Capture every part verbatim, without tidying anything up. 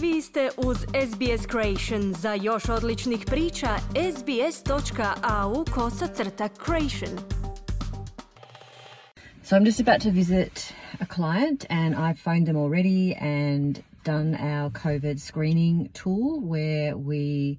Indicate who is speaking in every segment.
Speaker 1: Vi ste uz S B S Creation. Za još odličnih priča, sbs.au kosacrta creation.
Speaker 2: So I'm just about to visit a client and I've phoned them already and done our COVID screening tool where we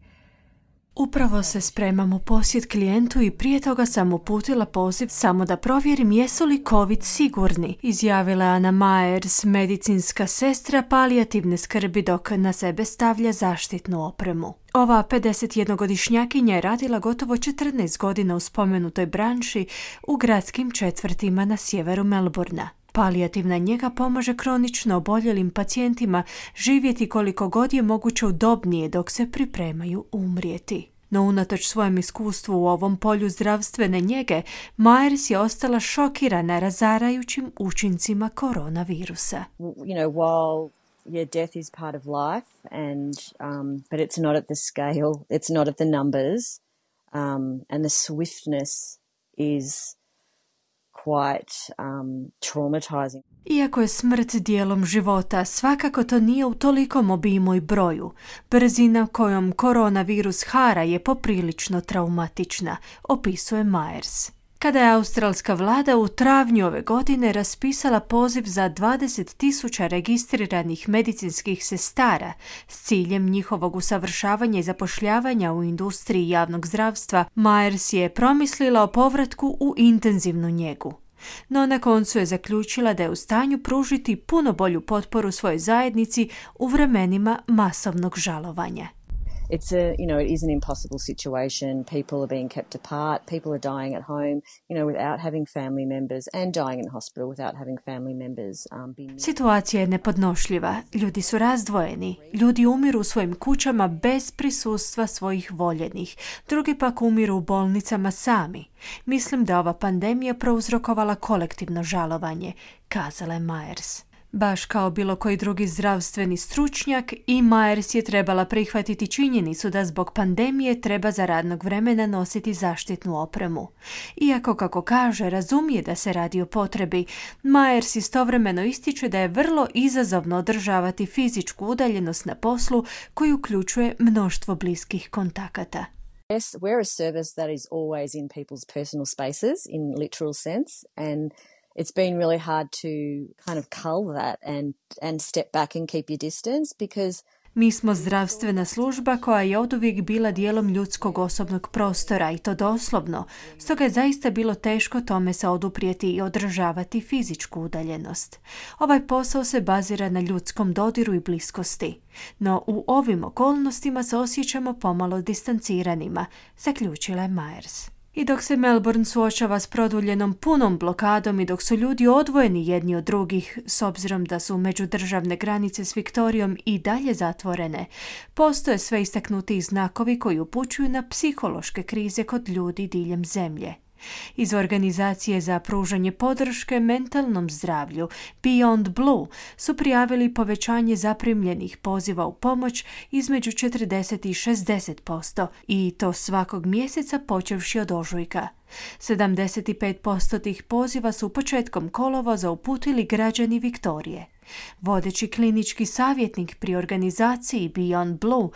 Speaker 3: Upravo se spremam u posjet klijentu i prije toga sam uputila poziv samo da provjerim jesu li COVID sigurni, izjavila je Anna Myers, medicinska sestra palijativne skrbi dok na sebe stavlja zaštitnu opremu. Ova pedesetjednogodišnjakinja je radila gotovo četrnaest godina u spomenutoj branši u gradskim četvrtima na sjeveru Melbourna. Palijativna njega pomaže kronično oboljelim pacijentima živjeti koliko god je moguće udobnije dok se pripremaju umrijeti. No unatoč svojem iskustvu u ovom polju zdravstvene njege, Myers je ostala šokirana razarajućim učincima koronavirusa.
Speaker 2: You know, while yeah, death is part of life, and um, but it's not at the scale, it's not at the numbers, um, and the swiftness is quite um, traumatizing.
Speaker 3: Iako je smrt dijelom života, svakako to nije u tolikom obimu i broju. Brzina kojom koronavirus hara je poprilično traumatična, opisuje Myers. Kada je australska vlada u travnju ove godine raspisala poziv za dvadeset tisuća registriranih medicinskih sestara s ciljem njihovog usavršavanja i zapošljavanja u industriji javnog zdravstva, Myers je promislila o povratku u intenzivnu njegu. No na koncu je zaključila da je u stanju pružiti puno bolju potporu svojoj zajednici u vremenima masovnog žalovanja.
Speaker 2: It's a, you know, it is an impossible situation. People are being kept apart. People are dying at home, you know, without having family members and dying in hospital without having family members. Um, being...
Speaker 3: Situacija je nepodnošljiva. Ljudi su razdvojeni. Ljudi umiru u svojim kućama bez prisustva svojih voljenih. Drugi pak umiru u bolnicama sami. Mislim da ova pandemija prouzrokovala kolektivno žalovanje, kazala je Myers. Baš kao bilo koji drugi zdravstveni stručnjak, i Myers je trebala prihvatiti činjenicu da zbog pandemije treba za radnog vremena nositi zaštitnu opremu. Iako, kako kaže, razumije da se radi o potrebi, Myers istovremeno ističe da je vrlo izazovno održavati fizičku udaljenost na poslu koji uključuje mnoštvo bliskih kontakata.
Speaker 2: Yes, we're a service that is always in people's personal spaces in literal sense, and it's been really hard to kind of cull that and, and step back and keep your distance because
Speaker 3: Mi smo zdravstvena služba koja je oduvijek bila dijelom ljudskog osobnog prostora i to doslovno, stoga je zaista bilo teško tome se oduprijeti i održavati fizičku udaljenost. Ovaj posao se bazira na ljudskom dodiru i bliskosti, no u ovim okolnostima se osjećamo pomalo distanciranima, zaključila je Myers. I dok se Melbourne suočava s produljenom punom blokadom i dok su ljudi odvojeni jedni od drugih, s obzirom da su međudržavne granice s Viktorijom i dalje zatvorene, postoje sve istaknutiji znakovi koji upućuju na psihološke krize kod ljudi diljem zemlje. Iz organizacije za pružanje podrške mentalnom zdravlju Beyond Blue su prijavili povećanje zaprimljenih poziva u pomoć između četrdeset i šezdeset posto i to svakog mjeseca počevši od ožujka. sedamdeset pet posto tih poziva su početkom kolovoza uputili građani Viktorije. Vodeći klinički savjetnik pri organizaciji Beyond Blue,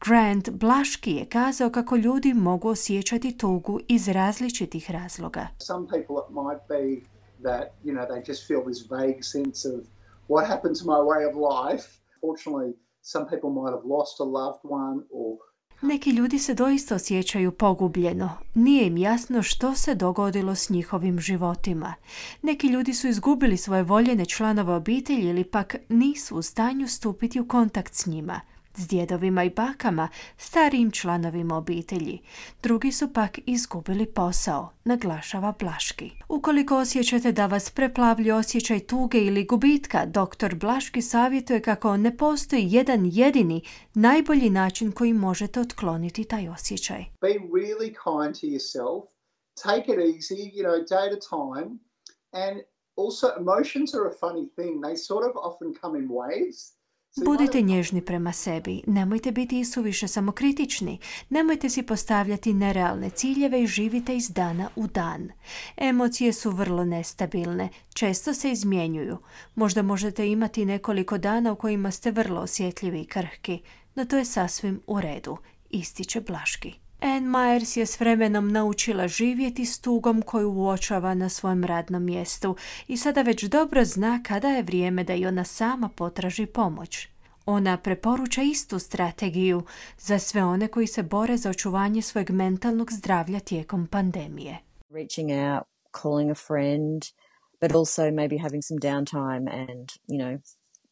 Speaker 3: Grant Blaški, je kazao kako ljudi mogu osjećati tugu iz različitih razloga.
Speaker 4: Some people it might be that, you know, they just feel this vague sense of what happened to my way of life. Fortunately, some people might have lost a loved one or
Speaker 3: Neki ljudi se doista osjećaju pogubljeno. Nije im jasno što se dogodilo s njihovim životima. Neki ljudi su izgubili svoje voljene članove obitelji ili pak nisu u stanju stupiti u kontakt s njima, s djedovima i bakama, starijim članovima obitelji. Drugi su pak izgubili posao, naglašava Blaški. Ukoliko osjećate da vas preplavlja osjećaj tuge ili gubitka, doktor Blaški savjetuje kako ne postoji jedan jedini, najbolji način koji možete otkloniti taj osjećaj.
Speaker 4: be really kind to yourself. Take it easy, you know, day to time. And also emotions are a funny thing. They sort of often come in waves.
Speaker 3: Budite nježni prema sebi, nemojte biti isuviše samokritični, nemojte si postavljati nerealne ciljeve i živite iz dana u dan. Emocije su vrlo nestabilne, često se izmjenjuju. Možda možete imati nekoliko dana u kojima ste vrlo osjetljivi i krhki, no to je sasvim u redu, ističe Blaški. Anne Myers je s vremenom naučila živjeti s tugom koju uočava na svojem radnom mjestu i sada već dobro zna kada je vrijeme da i ona sama potraži pomoć. Ona preporuča istu strategiju za sve one koji se bore za očuvanje svojeg mentalnog zdravlja tijekom pandemije.
Speaker 2: Reaching out, calling a friend, but also maybe having some downtime and, you know,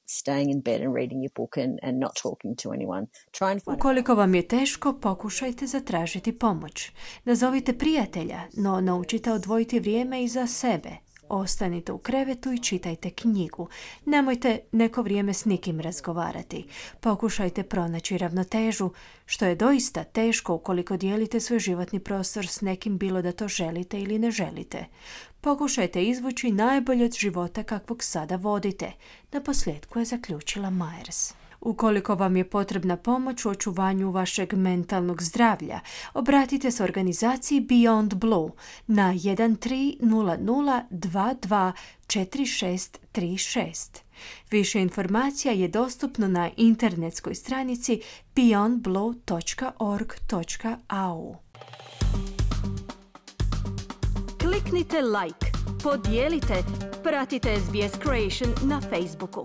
Speaker 2: staying in bed and reading your book and, and not talking to anyone. Try and find
Speaker 3: Ukoliko vam je teško, pokušajte zatražiti pomoć. Nazovite prijatelja, no naučite odvojiti vrijeme i za sebe. Ostanite u krevetu i čitajte knjigu. Nemojte neko vrijeme s nikim razgovarati. Pokušajte pronaći ravnotežu, što je doista teško ukoliko dijelite svoj životni prostor s nekim, bilo da to želite ili ne želite. Pokušajte izvući najbolje od života kakvog sada vodite. Naposljetku je zaključila Myers. Ukoliko vam je potrebna pomoć u očuvanju vašeg mentalnog zdravlja, obratite se organizaciji Beyond Blue na jedan tri nula nula dva dva četiri šest tri šest. Više informacija je dostupno na internetskoj stranici beyond blue dot org dot a u.
Speaker 1: Kliknite like, podijelite, pratite S B S Creation na Facebooku.